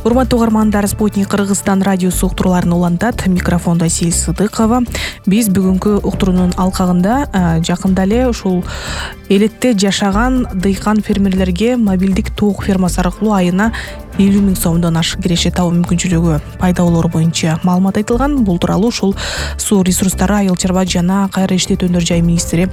Урматтуу угармандар, Спутник Кыргызстан радиосу уктурууларын улантат. Микрофондо Сил Сыдыкова. Биз бүгүнкү уктуруунун алкагында жакында эле ушул элетте жашаган дыйкан фермерлерге мобилдик тоок фермасы аркылуу айына 50 000 сомдон ашык киреше табуу мүмкүнчүлүгү пайда болоору боюнча маалымат айтылган. Бул тууралуу ушул суу ресурстары, айыл чарба жана кайра иштетүүнөр жай министри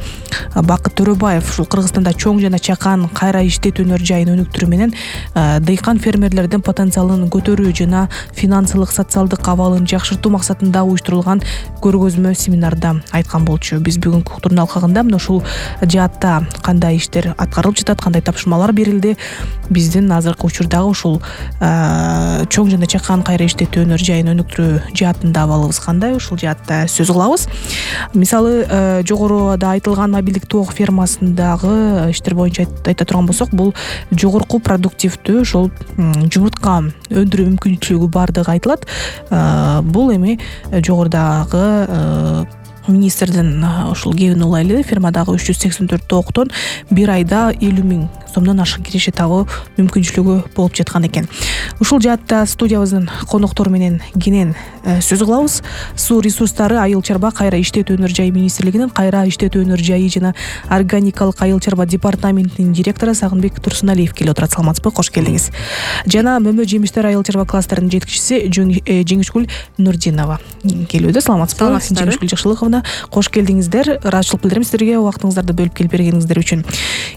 Бакыт Төрөбаев ушул Кыргызстанда чоң жана чакан кайра иштетүүнөр жайын өнүктүрүү менен дыйкан фермерлердин потенциалын көтөрүү жана финансылык социалдык абалын жакшыртуу максатында уюштурулган көргөзмө семинарда айткан болчу. Биз бүгүнкү уктуруунун алкагында мына ушул жаатта кандай иштер аткарылып жатат, кандай тапшырмалар берилди, биздин азыркы учурдагы ушул чоң жана чакан кайра иштетүүнөр жайын өнүктүрүү жаатында абалыбыз кандай, ушул жаатта сөз кылабыз. Мисалы, жогоруда айтылган мобилдик тоок фермасындагы иштер боюнча айта турган болсок, бул жогорку продуктивдүү ушул жумуртка өндүрүү мүмкүнчүлүгү бардыгы айтылат. Бул эми жогорудагы министрдин ушул кебин улайлы фермадагы 384 тооктон бир айда 50 000 сомдон ашык киреше табуу мүмкүнчүлүгү болуп жаткан экен. Ушул жаатта студиябыздын коноктору менен кенен сөз кылабыз. Суу ресурстары, айыл чарба кайра иштетүүнөр жай министрлигинин кайра иштетүүнөр жайы жана органикалык айыл чарба департаментинин директору Сагынбек Турсуналиев келип отурат. Саламатсызбы? Кош келдиңиз. Жана Мөмө жемиштер айыл чарба кластеринин жетекчиси Жеңишгүл Нурдинова келүүдө. Саламатсызбы? Жеңишгүл Жакшылыковна, кош келдиңиздер. Ыраазычылык билдирем сиздерге убактыңыздарды бөлүп келип бергениңиздер үчүн.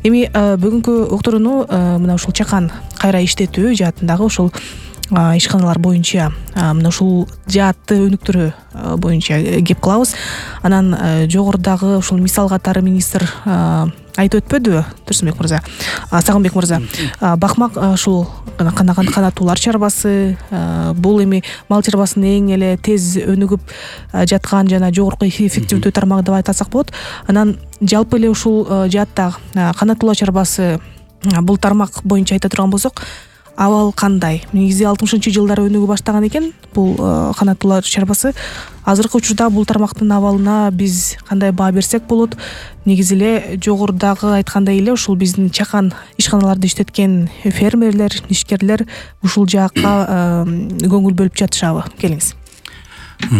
Эми бүгүнкү уктурууну мына ушул чакан кайра иштетүү жаатындагы ушул ишканалар боюнча, мына ушул жаатты өнүктүрүү боюнча кеп кылабыз. Анан жогорудагы ушул мисал катары министр айтып өтпөдүбү, Турсунбек мырза, Сагынбек мырза, бакмак ушул канаттуулар чарбасы, бул эми мал чарбасынын эң эле тез өнүгүп жаткан жана жогорку эффективдүү тармагы деп айтсак болот. Анан жалпы эле ушул жаатта канаттуулар чарбасы бул тармак боюнча айта турган болсок, абал кандай? Негизи 60-жылдары өнүгүп баштаган экен бул канаттуулар чарбасы. Азыркы учурда бул тармактын абалына биз кандай баа берсек болот? Негизи эле жогорудагы айткандай эле ушул биздин чакан ишканаларды иштеткен фермерлер, ишкерлер ушул жакка көңүл бөлүп жатышабы? Келиңиз.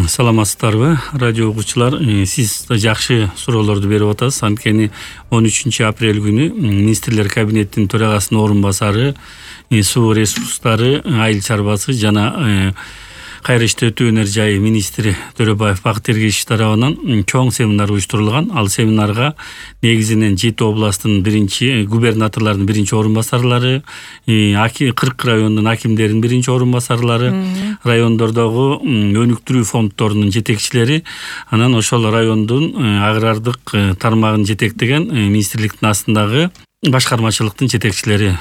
Саламатсыздарбы, радио угуучулар? Сиз жакшы суроолорду берип атасыз. Анткени 13 апрель күнү министрлер кабинетинин төрагасынын орун басары, суу ресурстары, айыл чарбасы жана кайра иштетүүнөр жайы министри Төрөбаев Бакыт Эргешевич тарабынан чоң семинар уюштурулган. Ал семинарга негизинен 7 областтын губернаторлордун биринчи орун басарлары, 40 райондун акимдеринин биринчи орун басарлары, райондордогу өнүктүрүү фонддорунун жетекчилери, анан ошол райондун агрардык тармагын жетектеген министрликтин астындагы башкармачылыктын жетекчилери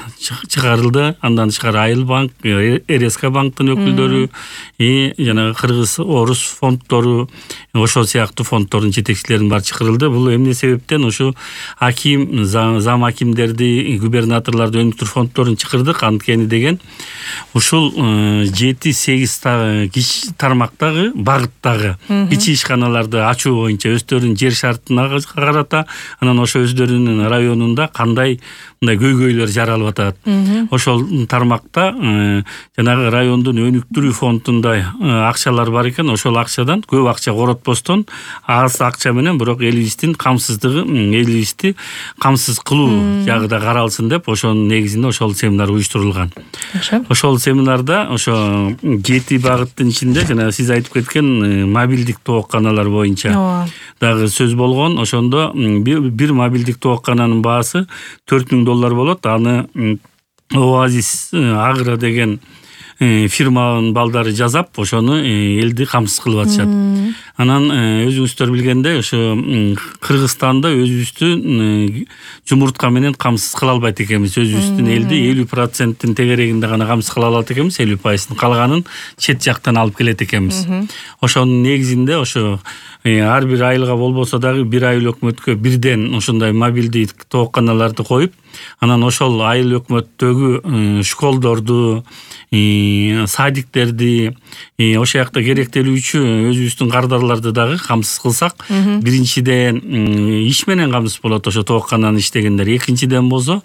чыгарылды. Андан тышкары Айыл банк, РСК банктын өкүлдөрү, жана Кыргыз Орус фонддору, ошол сыяктуу фонддордун жетекчилеринин баары чакырылды. Бул эмне себептен ушу аким, зам акимдерди, губернаторлорду өнүктүрүү фонддорун чакырдык? Анткени деген ушул 7-8 тармактагы, багыттагы кичи ишканаларды ачуу боюнча өздөрүнүн жер шартына карата, анан ошо өздөрүнүн районунда кандай мындай көйгөйлөр жаралып атат. Ошол тармакта жанагы райондун өнүктүрүү фондунда акчалар бар экен. Ошол акчадан көп акча коротпостон аз акча менен бирок элибиздин камсыздыгы, элибизди камсыз кылуу жагы да каралсын деп ошонун негизинде ошол семинар уюштурулган. Ошол семинарда ошо 7 багыттын ичинде жана сиз айтып кеткен мобилдик тоокканалар боюнча дагы сөз болгон. Ошондо бир мобилдик тооккананын баасы $4000 болот. Аны Оазис Агро деген фирманын балдары жасап, ошону элди камсыз кылып атышат. Анан өзүңүздөр билгендей, ошо Кыргызстанда өзүбүздүн жумуртка менен камсыз кыла албайт экенбиз. Өзүбүздүн элди 50%-тин тегерегинде гана камсыз кыла алат экенбиз, 50%-ын калганын чет жактан алып келет экенбиз. Ошонун негизинде ошо ар бир айылга болбосо дагы бир айыл өкмөткө бирден ушундай мобилдик тоокканаларды коюп, Анан ошол айыл өкмөттөгү школдорду, садиктерди, ошол жакта керектелүүчү өзүбүздүн кардарларды дагы камсыз кылсак, биринчиден иш менен камсыз болот ошо тооккананы иштегендер. Экинчиден болсо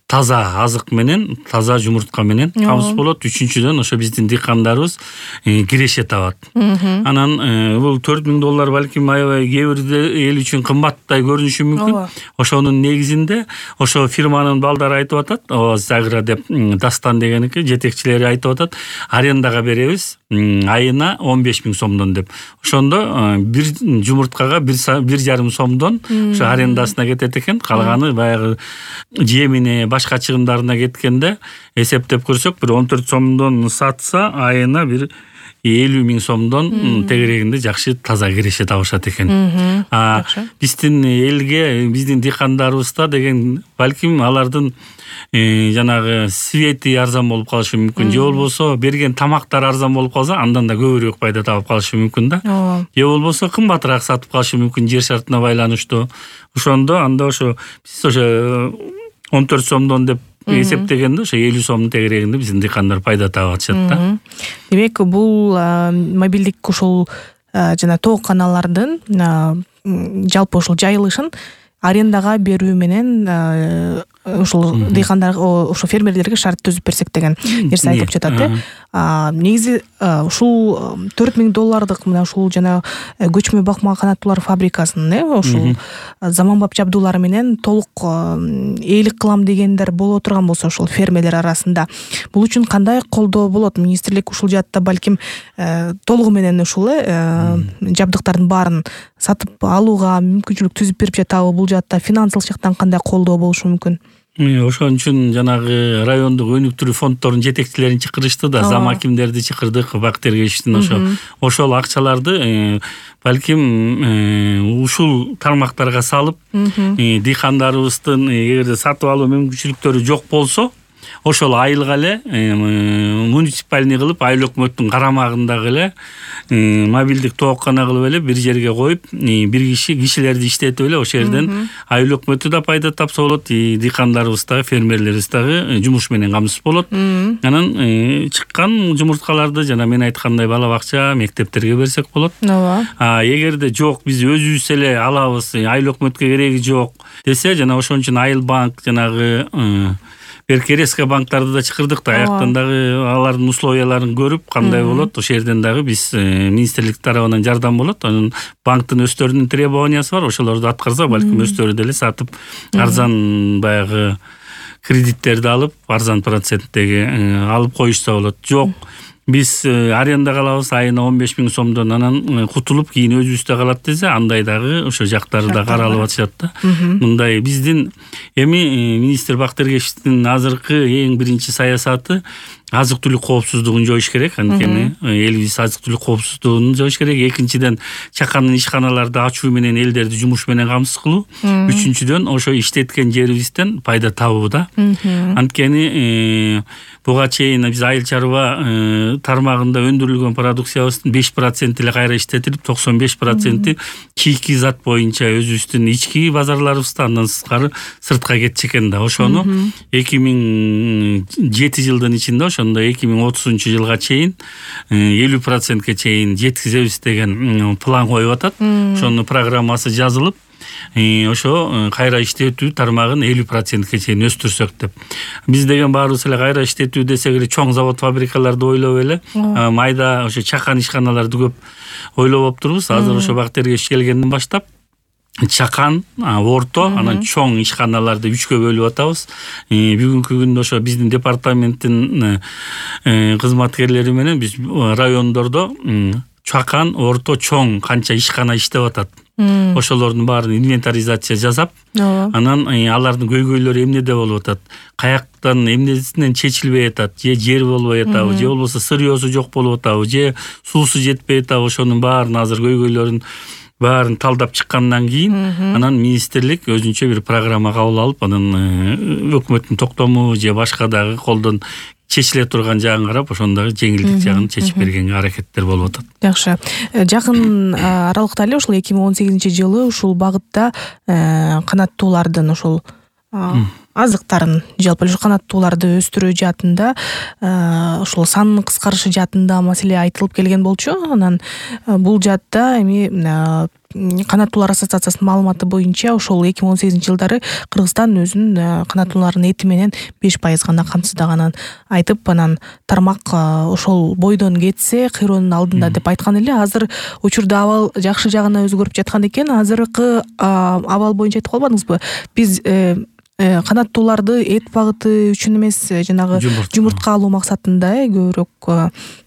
таза азык менен, таза жумуртка менен камсыз болот. Үчүнчүдөн ошо биздин дыйкандарыбыз киреше табат. Анан бул $4000 балким аябай кээ бир эл үчүн кымбаттай көрүнүшү мүмкүн. Ошонун негизинде ошо фирманын балдары айтып атат, Загра деп, Дастан дегеники жетекчилери айтып атат, арендага беребиз айына 15.000 сомдон деп. Ошондо бир жумурткага 1,5 сомдон ошо арендасына кетет экен. Калганы баягы жемине, башка чыгымдарына кеткенде эсептеп көрсөк, бир 14 сомдон сатса айына бир 50.000 сомдон тегерегинде жакшы таза киреше табышат экен. Биздин элге, биздин дыйкандарыбызда деген балким алардын жанагы свети арзан болуп калышы мүмкүн. Же болбосо берген тамактар арзан болуп калса, андан да көбүрөөк пайда табып калышы мүмкүн да. Же болбосо кымбатыраак сатып калышы мүмкүн жер шартына байланыштуу. Ошондо анда ошо биз ошо 14 сомдон деп эсептегенде ошо 50 сомдун тегерегинде биздин дыйкандар пайда таап атышат да. Демек бул мобилдик ушул жана тоокканалардын жалпы ушул жайылышын арендага берүү менен ушул дыйкандарга, ошо фермерлерге шарт түзүп берсек деген нерсе айтылып жатат. Негизи ушул $4000 мына ушул жана көчмө бакма канаттуулар фабрикасынын ушул заманбап жабдуулары менен толук ээлик кылам дегендер боло турган болсо ушул фермерлер арасында бул үчүн кандай колдоо болот? Министрлик ушул жаатта балким толугу менен ушул жабдыктардын баарын сатып алууга мүмкүнчүлүк түзүп берип жатабы? Бул жаатта финансылык жактан кандай колдоо болушу мүмкүн? Ошон үчүн жанагы райондук өнүктүрүү фонддорунун жетекчилерин чакырышты да, зам акимдерди чакырдык, Бактергеевичтин ошол акчаларды балким ушул тармактарга салып, дыйкандарыбыздын эгерде сатып алуу мүмкүнчүлүктөрү жок болсо, ошол айылга эле муниципальный кылып, айыл өкмөттүн карамагындагы эле мобилдик тооккана кылып эле бир жерге коюп, бир кишилерди иштетип эле ошол жерден айыл өкмөтү да пайда тапса болот, дыйкандарыбыз дагы, фермерлерибиз дагы жумуш менен камсыз болот. Анан чыккан жумурткаларды жана мен айткандай бала бакча, мектептерге берсек болот. Эгерде жок, биз өзүбүз эле алабыз, айыл өкмөткө кереги жок десе, жана ошон үчүн айыл банк, жанагы Беркереске банктарды да чакырдык да, аяктан дагы алардын условияларын көрүп, кандай болот, ошол жерден дагы биз министрлик тарабынан жардам болот. Анын банктын өздөрүнүн требованиясы бар, ошолорду аткарса, балким өздөрү деле сатып, арзан баягы кредиттерди алып, арзан проценттеги алып коюшса болот. Жок, биз арендага алабыз айына 15.000 сомдон, анан кутулуп кийин өзүбүздө калат десе, андай дагы ошо жактары да каралып атышат да. Мындай биздин эми министр Бактергеевичтин азыркы эң биринчи саясаты азык-түлүк коопсуздугун жоюш керек. Анткени элибиз азык-түлүк коопсуздугун жоюш керек. Экинчиден, чакан ишканаларды ачуу менен элдерди жумуш менен камсыз кылуу. Үчүнчүдөн, ошо иштеткен жерибизден пайда табуу да. Анткени буга чейин биз айыл чарба тармагында өндүрүлгөн продукциябыздын 5% эле кайра иштетилип, 95% чийки зат боюнча өзүбүздүн ички базарларыбызда, андан сыртка кетчү экен да. Ошону 2007 жылдын ичинде, ошондо 2030 жылга чейин 50%ке чейин жеткизебиз деген план коюп атат. Ошонун программасы жазылып, ошо кайра иштетүү тармагын 50%ке чейин өстүрсөк деп. Биз деген баарыбыз эле кайра иштетүү десек эле чоң завод фабрикаларды ойлоп эле, майда ошо чакан ишканаларды көп ойлоп олуптурбуз. Азыр ошо Бактергеевич келгенден баштап чакан, орто, анан чоң ишканаларды 3кө бөлүп атабыз. Бүгүнкү күндө ошо биздин департаменттин кызматкерлери менен биз райондордо чакан, орто, чоң канча ишкана иштеп атат. Ошолордун баарын инвентаризация жасап, анан алардын көйгөйлөрү эмнеде болуп атат, каяктан эмнесинен чечилбей атат, же жер болбой атабы, же болбосо сырьёсу жок болуп атабы, же суусу жетпей атабы, ошонун баарын азыр көйгөйлөрүн баарын талдап чыккандан кийин, анан министрлик өзүнчө бир программа кабыл алып, анан өкмөттүн токтому же башка дагы колдон чечиле турган жагын карап, ошондогу жеңилдик жагын чечип бергенге аракеттер болуп атат. Жакшы. Жакын аралыкта эле ушул 2018 жылы ушул багытта канаттуулардын ушул азыктарын жалпы эле канаттууларды өстүрүү жаатында ошол санын кыскарышы жаатында маселе айтылып келген болчу. Анан бул жаатта эми канаттуулар ассоциациясынын маалыматы боюнча ошол 2018-жылдары Кыргызстан өзүнүн канаттуулардын эти менен 5% гана камсыздаганын айтып, анан тармак ошол бойдон кетсе кыйроонун алдында деп айткан эле. Азыр учурда абал жакшы жагына өзгөрүп жаткан экен. Азыркы абал боюнча айтып калбадыңызбы? Биз канаттууларды эт багыты үчүн эмес, жанагы жумуртка алуу максатында көбүрөөк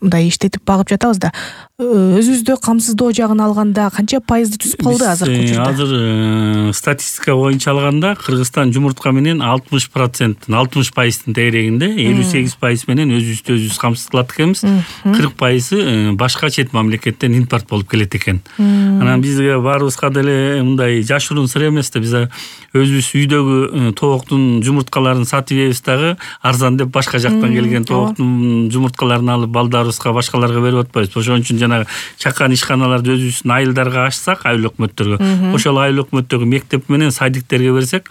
мындай иштетип багып жатабыз да. Өзүбүздө камсыздоо жагын алганда канча пайызды түзүп калды азыркы учурда? Азыр статистика боюнча алганда Кыргызстан жумуртка менен 60%тегерегинде, 58% менен өзүбүздү өзүбүз камсыз кылат экенбиз. 40% башка чет мамлекеттен импорт болуп келет экен. Анан бизге баарыбызга деле мындай жашыруун сыр эмес да, биз өзүбүз үйдөгү тооктун жумурткаларын сатып ийбиз дагы арзан деп башка жактан келген тооктун жумурткаларын алып балдарыбызга, башкаларга берип атпайбыз. Ошон үчүн жанагы чакан ишканаларды өзүбүздүн айылдарга ачсак, айыл өкмөттөргө, ошол айыл өкмөттөгү мектеп менен садиктерге берсек,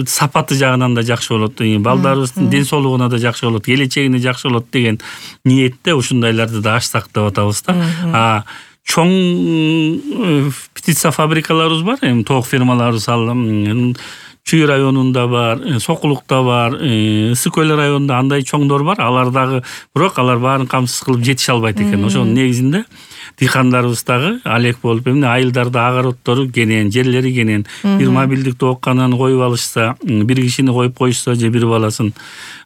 сапаты жагынан да жакшы болот, балдарыбыздын ден соолугуна да жакшы болот, келечегине жакшы болот деген ниетте ушундайларды да ачсак деп атабыз да. Чоң птица фабрикаларыбыз бар, эми тоок фермаларыбыз Чүй районунда бар, Сокулукта бар, Ысык Көл районунда андай чоңдор бар. Алар дагы, бирок алар баарын камсыз кылып жетише албайт экен. Ошонун негизинде дыйкандарыбыз дагы алек болуп, эмне айылдарда огороддору кенен, жерлери кенен, бир мобилдик тооккананы коюп алышса, бир кишини коюп коюшса же бир баласын,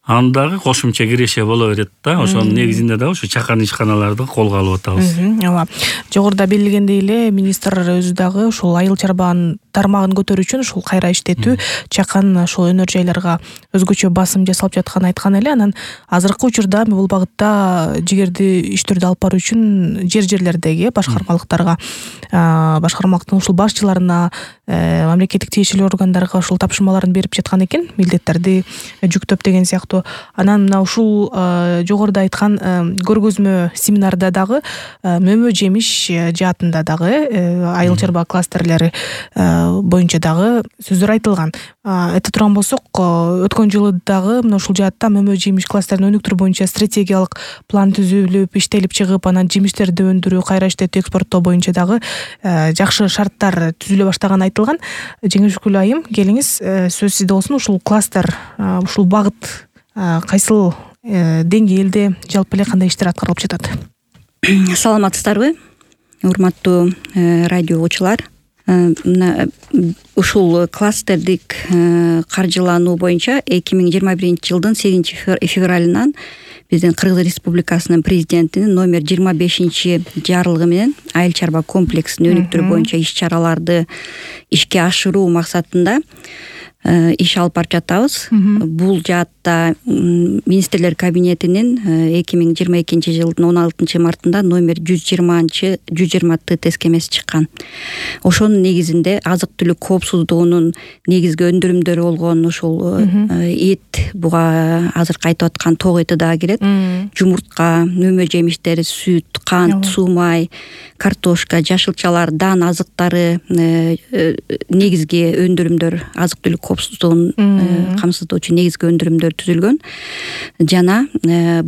андагы кошумча киреше боло берет да. Ошонун негизинде дагы ушу чакан ишканаларды колго алып атабыз. Ооба. Жогоруда белгилегендей эле министр өзү дагы ушул айыл чарбанын тармагын көтөрүү үчүн ушул кайра иштетүү, чакан ошол өнөр жайларга өзгөчө басым жасалып жатканын айткан эле. Анан азыркы учурда бул багытта жигерди иштерди алып баруу үчүн жерлердеги башкармалыктарга, башкармалыктын ушул башчыларына, мамлекеттик тиешелүү органдарга ушул тапшырмаларын берип жаткан экен, милдеттерди жүктөп деген сыяктуу. Анан мына ушул жогоруда айткан көргөзмө семинарда дагы мөмө жемиш жаатында дагы айыл чарба кластерлери боюнча дагы сөздөр айтылган. Айта турган болсок, өткөн жылы дагы мына ушул жаатта мөмө жемиш кластерин өнүктүрүү боюнча стратегиялык план түзүлүп, иштелип чыгып, анан жемиштерди өндүрүү, кайра иштетүү, экспорттоо боюнча дагы жакшы шарттар түзүлө баштаганы айтылган. Жеңишгүл айым, келиңиз, сөз сизде болсун. Ушул кластер, ушул багыт кайсыл деңгээлде, жалпы эле кандай иштер аткарылып жатат? Саламатсыздарбы, урматтуу радио угуучулар? Ушул кластердик каржылануу боюнча 2021-жылдын 8-февралынан биздин Кыргыз Республикасынын президентинин номер 25-жарлыгы менен айыл чарба комплексин өнүктүрүү боюнча иш-чараларды ишке ашыруу максатында иш алып барып жатабыз. Бул жаатта министрлер кабинетинин 2022-жылдын 16-мартында номер 120 тескемеси чыккан. Ошонун негизинде азык-түлүк коопсуздугунун негизги өндүрүмдөрү болгон ушул эт, буга азыркы айтып аткан тоок эти дагы кирет. Жумуртка, мөмө жемиштери, сүт, кант, суу-май, картошка, жашылчалар, дан азыктары, негизги өндүрүмдөр, азык-түлүк коопсуздугун камсыздоочу негизги өндүрүмдөр түзүлгөн. Жана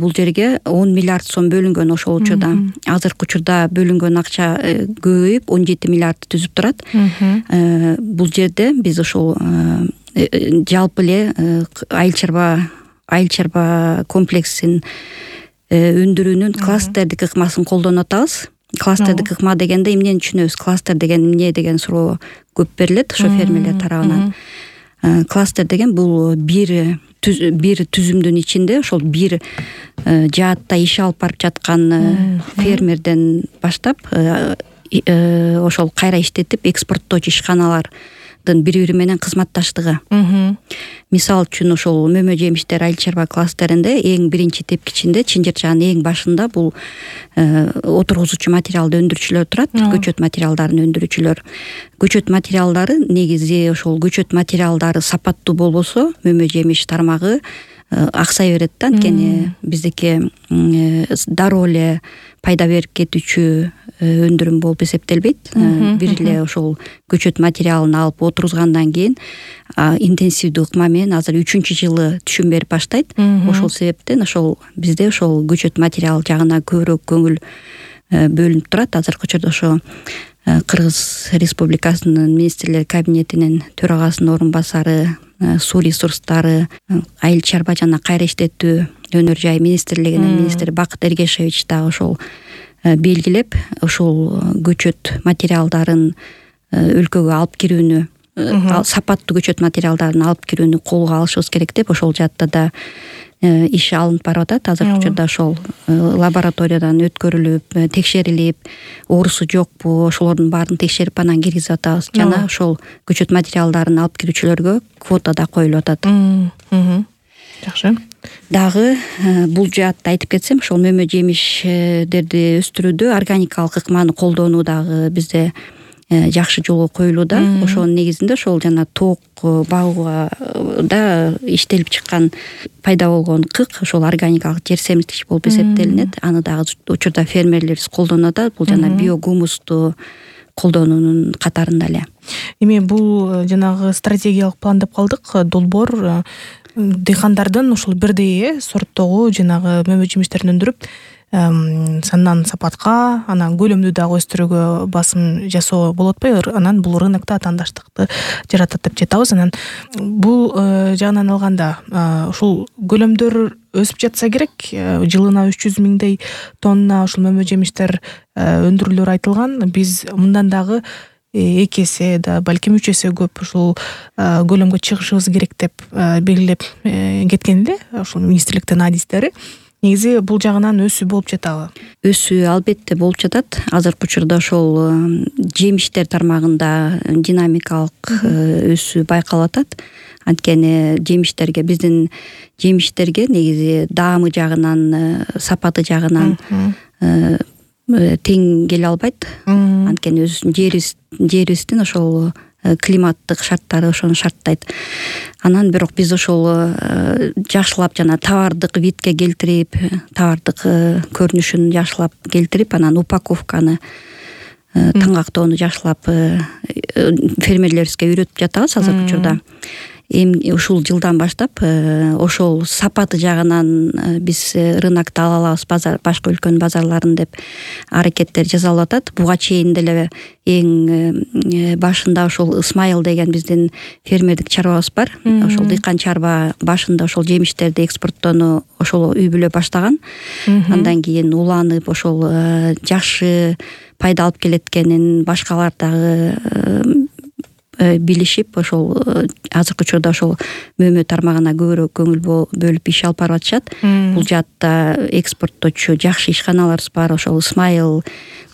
бул жерге 10 миллиард сом бөлүнгөн ошол учурда. Азыркы учурда бөлүнгөн акча көбөйүп 17 миллиардты түзүп турат. Бул жерде биз ошол жалпы эле айыл чарба комплексин өндүрүүнүн кластердик ыкмасын колдонуп атабыз. Кластердик ыкма дегенде эмнени түшүнөбүз? Кластер деген эмне деген суроо көп берилет ошо фермерлер тарабынан. Кластер деген бул бир түзүмдүн ичинде ошол бир жаатта иш алып барып жаткан фермерден баштап ошол кайра иштетип экспорттоочу ишканалардын бири-бири менен кызматташтыгы. Мисал үчүн ошол мөмө жемиштер айыл чарба кластеринде эң биринчи тепкичинде, чынжырчанын эң башында бул отургузуучу материалды өндүрүүчүлөр турат, көчөт материалдарын өндүрүүчүлөр. Көчөт материалдары негизи ошол көчөт материалдары сапаттуу болбосо, мөмө жемиш тармагы аксай берет да. Анткени биздики дароо эле пайда берип кетүүчү өндүрүм болуп эсептелбейт. Бир эле ошол көчөт материалын алып отургузгандан кийин интенсивдүү ыкма менен азыр 3-жылы түшүм берип баштайт. Ошол себептен ошол бизде ошол көчөт материал жагына көбүрөөк көңүл бөлүнүп турат. Азыркы учурда ошо Кыргыз Республикасынын министрлер кабинетинин төрагасынын орун басары, суу ресурстары, айыл чарба жана кайра иштетүү өнөр жай министрлигинин министри Бакыт Эргешевич дагы ошол белгилеп, ошол көчөт материалдарын өлкөгө алып кирүүнү, сапаттуу көчөт материалдарын алып кирүүнү колго алышыбыз керек деп ошол жаатта да иш алынып барып атат. Азыркы учурда ошол лабораториядан өткөрүлүп, текшерилип, оорусу жокпу, ошолордун баарын текшерип анан киргизип атабыз. Жана ошол көчөт материалдарын алып кирүүчүлөргө квота да коюлуп атат. Жакшы. Дагы бул жаатта айтып кетсем, ошол мөмө жемиштерди өстүрүүдө органикалык ыкманы колдонуу дагы бизде жакшы жолго коюлууда. Ошонун негизинде ошол жана тоок багууга да иштелип чыккан пайда болгон кык ошол органикалык жер семирткич болуп эсептелинет. Аны дагы учурда фермерлерибиз колдонуп атат. Бул жана биогумусту колдонуунун катарында эле. Эми бул жанагы стратегиялык план деп калдык. Долбоор дыйкандардын ушул бирдей сорттогу жанагы мөмө жемиштерин өндүрүп сандан сапатка, анан көлөмдү дагы өстүрүүгө басым жасоо болот атпайбы? Анан бул рынокто атаандаштыкты жаратат деп жатабыз. Анан бул жагынан алганда ушул көлөмдөр өсүп жатса керек, жылына 300 миңдей тонна ушул мөмө жемиштер өндүрүлөөр айтылган. Биз мындан дагы 2 эсе да балким 3 эсе көп ушул көлөмгө чыгышыбыз керек деп белгилеп кеткен эле ушул министрликтин адистери. Негизи бул жагынан өсүү болуп жатабы? Өсүү албетте болуп жатат. Азыркы учурда ошол жемиштер тармагында динамикалык өсүү байкалып атат. Анткени жемиштерге, биздин жемиштерге негизи даамы жагынан, сапаты жагынан тең келе албайт. Анткени жерибиздин ошол климаттык шарттары ошону шарттайт. Анан бирок биз ошол жакшылап жана товардык видке келтирип, товардык көрүнүшүн жакшылап келтирип, анан упаковканы, таңактоону жакшылап фермерлерибизге үйрөтүп жатабыз азыркы учурда. Эми ушул жылдан баштап ошол сапаты жагынан биз рынокто ала алабыз, башка өлкөнүн базарларын деп аракеттер жасалып атат. Буга чейин деле эң башында ошол Исмайыл деген биздин фермердик чарбабыз бар. Ошол дыйкан чарба башында ошол жемиштерди экспорттоону ошол үй бүлө баштаган. Андан кийин уланып ошол жакшы пайда алып келеткенин башкалар дагы билишип, ошол азыркы учурда ошол мөмө тармагына көбүрөөк көңүл бөлүп иш алып барып атышат. Бул жаатта экспорттоочу жакшы ишканаларыбыз бар. Ошол Исмайыл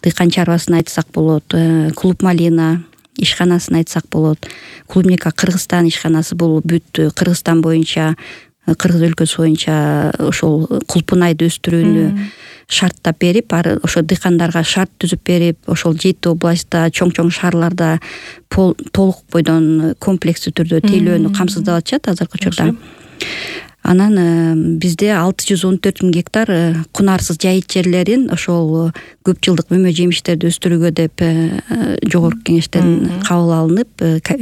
дыйкан чарбасын айтсак болот, Клуб Малина ишканасын айтсак болот. Клубника Кыргызстан ишканасы бул бүт Кыргызстан боюнча, Кыргыз өлкөсү боюнча ошол кулпунайды өстүрүүнү шарттап берип, ошо дыйкандарга шарт түзүп берип, ошол 7 областта, чоң-чоң шаарларда толук бойдон комплекстүү түрдө тейлөөнү камсыздап атышат азыркы учурда. Анан бизде 614 000 гектар кунарсыз жайыт жерлерин ошол көп жылдык мөмө жемиштерди өстүрүүгө деп жогорку кеңештен кабыл алынып,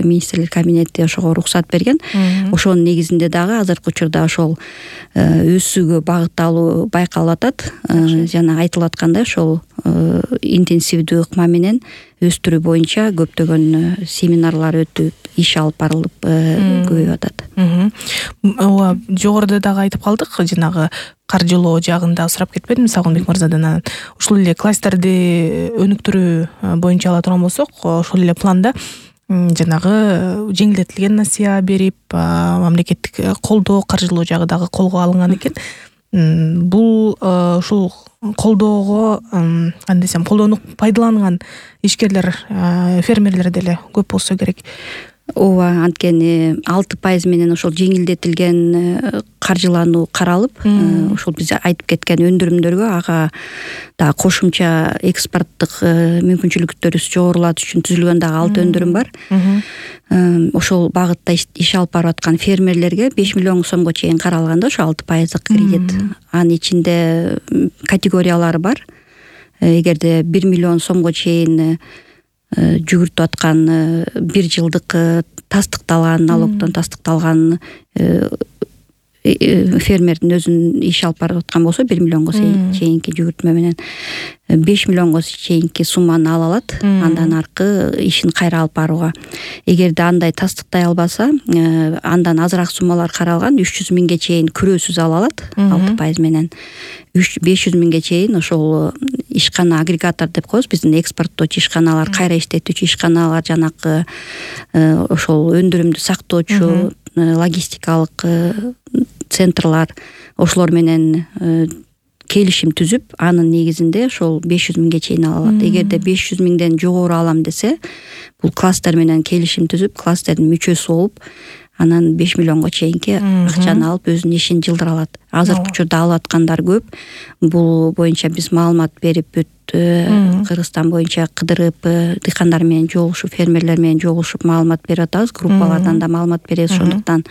министрлер кабинети ошого уруксат берген. Ошонун негизинде дагы азыркы учурда ошол өсүүгө багытталуу байкалып атат. Жана айтылып аткандай ошол интенсивдүү ыкма менен өстүрүү боюнча көптөгөн семинарлар өтүп, иш алып барылып көбөйүп атат. Ооба, жогоруда дагы айтып калдык, жанагы каржылоо жагында сурап кетпедим Сагынбек мырзадан. Ушул эле кластерди өнүктүрүү боюнча ала турган болсок, ошол эле планда жанагы жеңилдетилген насыя берип, мамлекеттик колдоо, каржылоо жагы дагы колго алынган экен. Бул ушул колдоого кандай десем, колдонуп пайдаланган ишкерлер, фермерлер деле көп болсо керек. ооба, анткени 6% менен ошол жеңилдетилген каржылануу каралып, ошол биз айтып кеткен өндүрүмдөргө ага дагы кошумча экспорттук мүмкүнчүлүктөрүбүз жогорулатыш үчүн түзүлгөн дагы 6 өндүрүм бар. Ошол багытта иш алып барып аткан фермерлерге 5 миллион сомго чейин каралган да ошо 6% кредит. Анын ичинде категориялары бар. Эгерде 1 миллион сомго чейин жүгүртүп аткан 1 жылдык тастыкталган, налогдон тастыкталган фермердин өзүнүн иш алып барып аткан болсо 1 миллионго чейинки жүгүртмө менен 5 миллионго чейинки сумманы ала алат. Андан аркы ишин кайра алып барууга. Эгерде андай тастыктай албаса, андан азыраак суммалар каралган, 300 миңге чейин күрөөсүз ала алат 6% менен. 500 миңге чейин ошол ишкана агрегатор деп коебуз, биздин экспорттоочу ишканалар, кайра иштетүүчү ишканалар, жанакы ошол өндүрүмдү сактоочу логистикалык центрлар, ошолор менен келишим түзүп, анын негизинде ошол 500 миңге чейин ала алат. Эгерде 500 миңден жогору алам десе, бул кластер менен келишим түзүп, кластердин мүчөсү болуп, анан 5 миллионго чейинки акчаны алып өзүнүн ишин жылдыра алат. Азыркы учурда алып аткандар көп. Бул боюнча биз маалымат берип бүт Кыргызстан боюнча кыдырып, дыйкандар менен жолугушуп, фермерлер менен жолугушуп маалымат берип атабыз. Группалардан да маалымат беребиз. Ошондуктан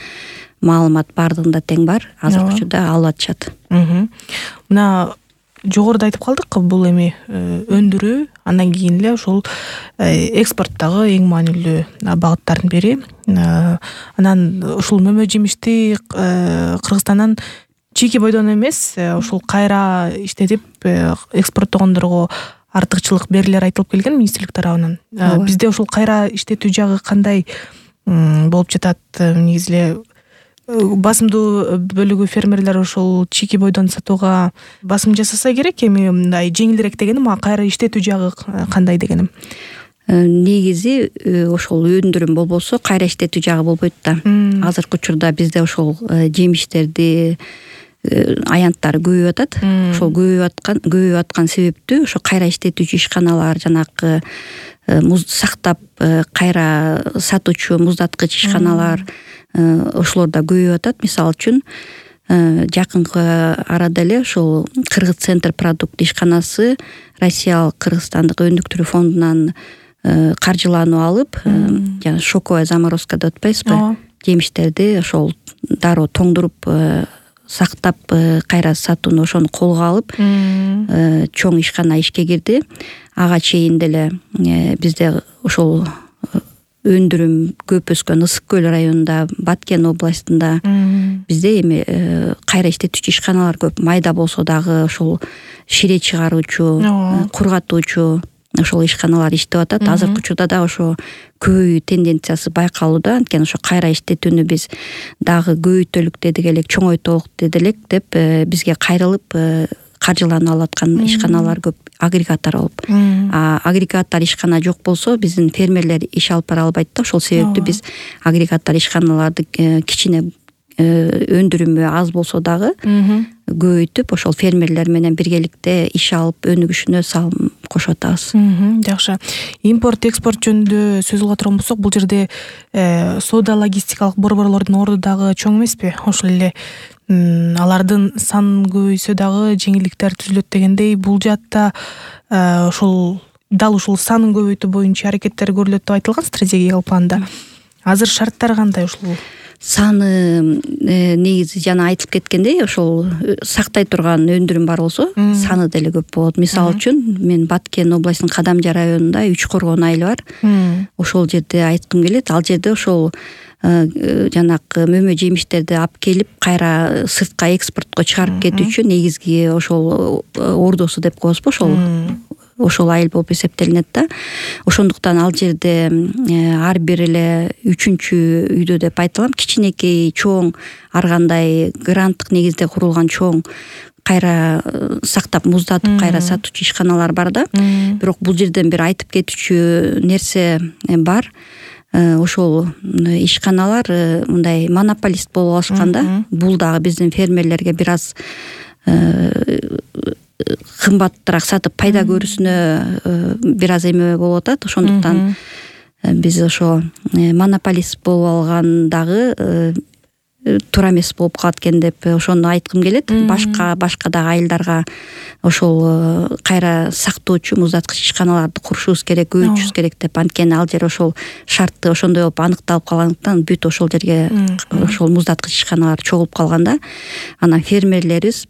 маалымат бардыгында тең бар. Азыркы учурда алып атышат. Мына жогоруда айтып калдык, бул эми өндүрүү, андан кийин эле ошол экспорттогу эң маанилүү багыттардын бири. Анан ушул мөмө жемишти Кыргызстандан чийки бойдон эмес, ушул кайра иштетип экспорттогондорго артыкчылык берилер айтылып келген министрлик тарабынан. Бизде ушул кайра иштетүү жагы кандай болуп жатат? Негизи эле басымдуу бөлүгү фермерлер ошол чийки бойдон сатууга басым жасаса керек. Эми мындай жеңилирээк дегеним, кайра иштетүү жагы кандай дегеним. Негизи ошол өндүрүм болбосо кайра иштетүү жагы болбойт да. Азыркы учурда бизде ошол жемиштерди аянттары көбөйүп атат. Ошол көбөйүп аткан себептүү ошо кайра иштетүүчү ишканалар, жанакы муз сактап кайра сатуучу муздаткыч ишканалар, ошолор да көбөйүп атат. Мисалы үчүн жакынкы арада эле ошол Кыргыз центр продукт ишканасы Россиялык Кыргызстандык өндүктүрүү фондунан каржылануу алып, жана шоковая заморозка деп атпайсызбы? Жемиштерди ошол дароо тоңдуруп сактап кайра сатууну ошону колго алып, чоң ишкана ишке кирди. Ага чейин деле бизде ошол өндүрүм көп өскөн Ысык көл районунда, Баткен областында бизде эми кайра иштетүүчү ишканалар көп. Майда болсо дагы ошол шире чыгаруучу, кургатуучу ошол ишканалар иштеп атат. Азыркы учурда да ошо көбөйүү тенденциясы байкалууда. Анткени ошо кайра иштетүүнү биз дагы көбөйтөлүк дедик элек, чоңойтолук деделек деп бизге кайрылып каржыланып алып аткан ишканалар көп, агрегатор болуп. Агрегатор ишкана жок болсо биздин фермерлер иш алып бара албайт да. Ошол себептүү биз агрегатор ишканаларды кичине өндүрүмү аз болсо дагы көбөйтүп, ошол фермерлер менен биргеликте иш алып өнүгүшүнө салым кошуп атабыз. Жакшы. Импорт, экспорт жөнүндө сөз кыла турган болсок, бул жерде соода логистикалык борборлордун орду дагы чоң эмеспи? Ошол эле алардын сан көбөйсө дагы жеңилдиктер түзүлөт дегендей, бул жаатта ошол дал ушул санын көбөйтүү боюнча аракеттер көрүлөт деп айтылган стратегиялык планда. Азыр шарттар кандай ушул? Саны негизи жана айтылып кеткендей, ошол сактай турган өндүрүм бар болсо, саны деле көп болот. Мисалы үчүн, мен Баткен областынын Кадамжа районунда 3 коргон айылы бар. Ошол жерде айткым келет. Ал жерде ошол жанакы мөмө жемиштерди алып келип, кайра сыртка экспортко чыгарып кетүүчү негизги ошол ордосу деп коебузбу, ошол айыл болуп эсептелинет да. Ошондуктан ал жерде ар бир эле 3-үчү үйдө деп айта алам, кичинекей, чоң, ар кандай гранттык негизде курулган чоң кайра сактап, муздатып кайра сатуучу ишканалар бар да. Бирок бул жерден бир айтып кетүүчү нерсе бар. Ошол ишканалар мындай монополист болуп алышканда, бул дагы биздин фермерлерге бир аз кымбатыраак сатып пайда көрүүсүнө бир аз эме болуп атат. Ошондуктан биз ошо монополист болуп алгандагы туура эмес болуп калат экен деп ошону айткым келет. Башка дагы айылдарга ошол кайра сактоочу муздаткыч ишканаларды курушубуз керек, көбөйтүшүбүз керек деп. Анткени ал жер ошол шарты ошондой болуп аныкталып калгандыктан бүт ошол жерге ошол муздаткыч ишканалар чогулуп калганда, анан фермерлерибиз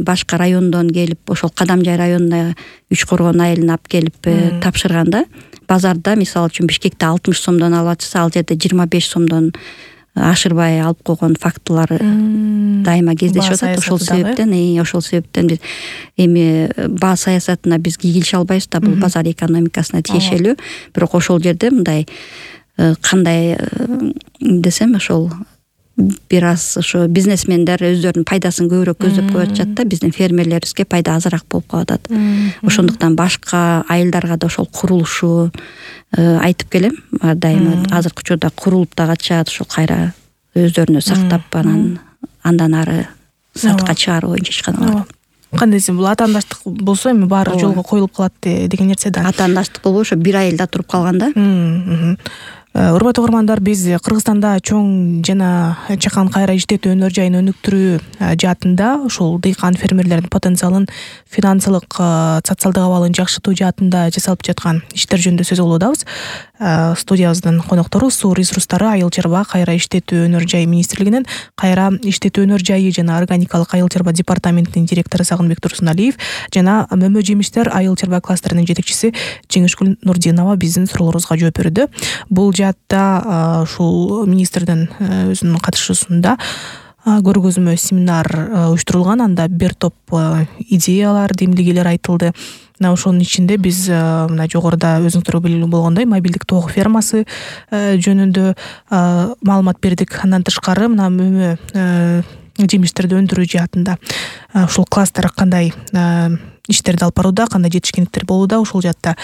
башка райондон келип ошол Кадамжай районуна Үч Коргон айылына алып келип тапшырганда, базарда мисалы үчүн Бишкекте 60 сомдон алып атса, ал жерде 25 сомдон ашырбай алып койгон фактылар дайыма кездешип атат. Ошол себептен биз эми баа саясатына биз кийгилише албайбыз да, бул базар экономикасына тиешелүү. Бирок ошол жерде мындай кандай десем, ошол бир аз ошо бизнесмендер өздөрүнүн пайдасын көбүрөөк көздөп коюп атышат да, биздин фермерлерибизге пайда азыраак болуп калып атат. Ошондуктан башка айылдарга да ошол курулушу айтып келем. Дайыма азыркы учурда курулуп да качат, ошол кайра өздөрүнө сактап андан ары сатыкка чыгаруу боюнча ишканалар. Кандай десем, бул атаандаштык болсо эми баары жолго коюлуп калат деген нерсе да. Атаандаштык болбой ошо бир айылда туруп калганда. Урматтуу угармандар, биз Кыргызстанда чоң жана чакан кайра иштетүү өнөр жайын өнүктүрүү жаатында ошол дыйкан фермерлердин потенциалын финансылык, социалдык абалын жакшыртуу жаатында жасалып жаткан иштер жөнүндө сөз кылып атабыз. Студиябыздын коноктору Суу ресурстары айыл чарба кайра иштетүү өнөр жайы министрлигинин кайра иштетүү өнөр жайы жана органикалык айыл чарба департаментинин директору Сагынбек Турсуналиев жана мөмө жемиштер айыл чарба кластеринин жетекчиси Жеңишгүл Нурдинова биздин суроолорубузга жооп берүүдө. Бул жаатта ушул министрдин өзүнүн катышуусунда көргөзмө семинар уюштурулган. Анда бир топ идеялар, демилгелер айтылды. Ошонун ичинде биз мына жогоруда өзүңүздөр белгилүү болгондой мобилдик тоок фермасы жөнүндө маалымат бердик. Андан тышкары мына мөмө жемиштерди өндүрүү жаатында ушул кластер кандай иштерди алып барууда, кандай жетишкендиктер болууда, ушул жаатта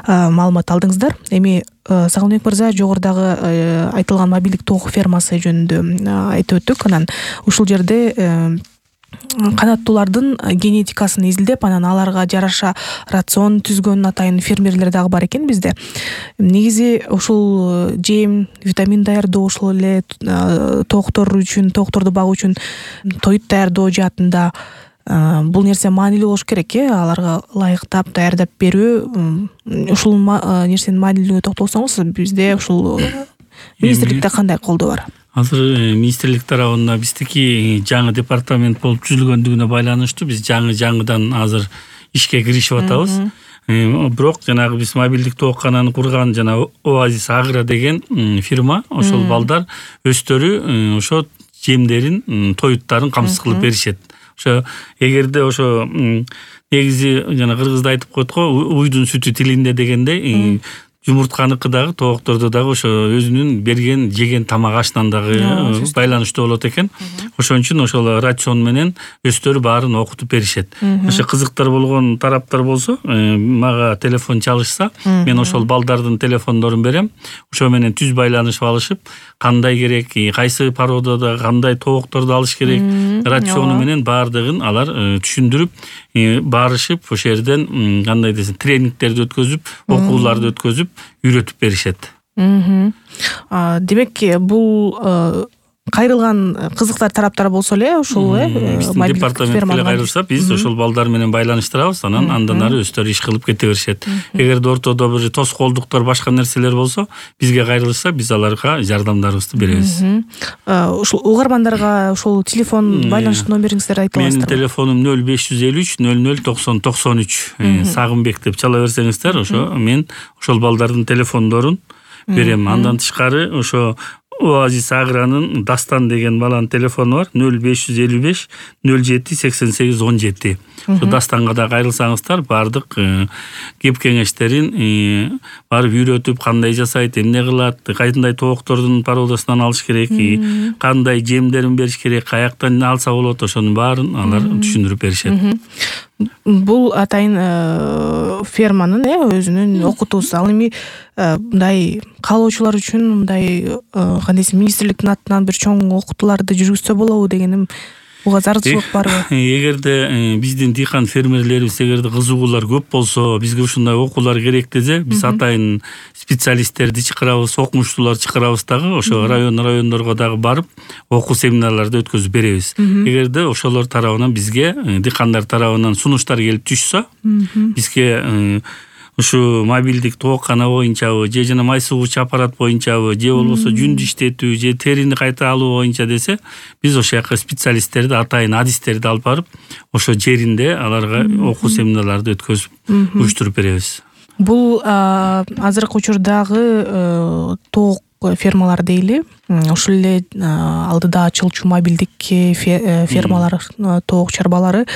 маалымат алдыңыздар. Эми Сагынбек мырза жогорудагы айтылган мобилдик тоок фермасы жөнүндө айтып өттүк. Анан ушул жерде канаттуулардын генетикасын изилдеп, анан аларга жараша рацион түзгөн атайын фермерлер дагы бар экен бизде. Негизи ушул жем, витамин даярдоо, ошол эле тоокторду багуу үчүн тоют даярдоо жаатында бул нерсе маанилүү болуш керек, аларга ылайыктап даярдап берүү. Ушул нерсенин маанилүүлүгүнө токтолсоңуз, бизде ушул министрликте кандай колдоо бар? Азыр министрлик тарабында биздики жаңы департамент болуп түзүлгөндүгүнө байланыштуу биз жаңыдан азыр ишке киришип атабыз. Бирок жанагы биз мобилдик тооккананы курган жана Оазис Агро деген фирма, ошол балдар өздөрү ошо жемдерин, тоюттарын камсыз кылып беришет. Ошо эгерде ошо негизи жана кыргызда айтып коет го, уйдун сүтү тилинде дегендей, жумуртканыкы дагы, тоокторду дагы ошо өзүнүн берген, жеген тамак ашынан дагы байланыштуу болот экен. Ошон үчүн ошол рацион менен өздөрү баарын окутуп беришет. Ошо кызыктар болгон тараптар болсо, мага телефон чалышса, мен ошол балдардын телефондорун берем. Ошо менен түз байланышып алышып, кандай керек, кайсы породада кандай тоокторду алыш керек, рациону менен баардыгын алар түшүндүрүп, барышып, ошол жерден кандай десем, тренингтерди өткөзүп, окууларды өткөзүп, үйрөтүп беришет. Демек, бул кайрылган кызыктар тараптар болсо эле ушул департаментке кайрылса, биз ошол балдар менен байланыштырабыз, андан ары өздөрү иш кылып кете беришет. Эгерде ортодо бир тоскоолдуктар, башка нерселер болсо, бизге кайрылышса, биз аларга жардамдарыбызды беребиз. Ушул угармандарга ушул телефон байланыш номериңиздерди айтып аласыздар? Менин телефонум 0553 00 90 93. Сагынбек деп чала берсеңиздер, ошо мен ошол балдардын телефондорун берем. Андан тышкары ошо Оазис Агранын Дастан деген баланын телефону бар, 0555 07 88 17. Ошо Дастанга да кайрылсаңыздар, баардык кеп кеңештерин барып үйрөтүп, кандай жасайт, эмне кылат, кайсындай тооктордун породасынан алыш керек, кандай жемдерин бериш керек, каяктан алса болот, ошонун баарын алар түшүндүрүп беришет. Бул атайын ферманын өзүнүн окутуусу. Ал эми мындай каалоочулар үчүн мындай кандай десем, министрликтин атынан бир чоң окутууларды жүргүзсө болобу дегеним буга зарылчылык барбы? Эгерде биздин дыйкан фермерлерибиз эгерде кызыгуулар көп болсо, бизге ушундай окуулар керек десе, биз атайын специалисттерди чакырабыз, окумуштууларды чакырабыз дагы, ошо райондорго дагы барып окуу семинарларды өткөзүп беребиз. Эгерде ошолор тарабынан бизге, дыйкандар тарабынан сунуштар келип түшсө, бизге ушу мобилдик тооккана боюнчабы, же жана май сугуучу аппарат боюнчабы, же болбосо жүндү иштетүү, же терини кайта алуу боюнча десе, биз ошол жака специалисттерди, атайын адистерди алып барып, ошо жеринде аларга окуу семинарларды өткөзүп уюштуруп беребиз. Бул азыркы учурдагы тоок фермалар дейли, ошол эле алдыда ачылчу мобилдик фермалар, тоок чарбалары,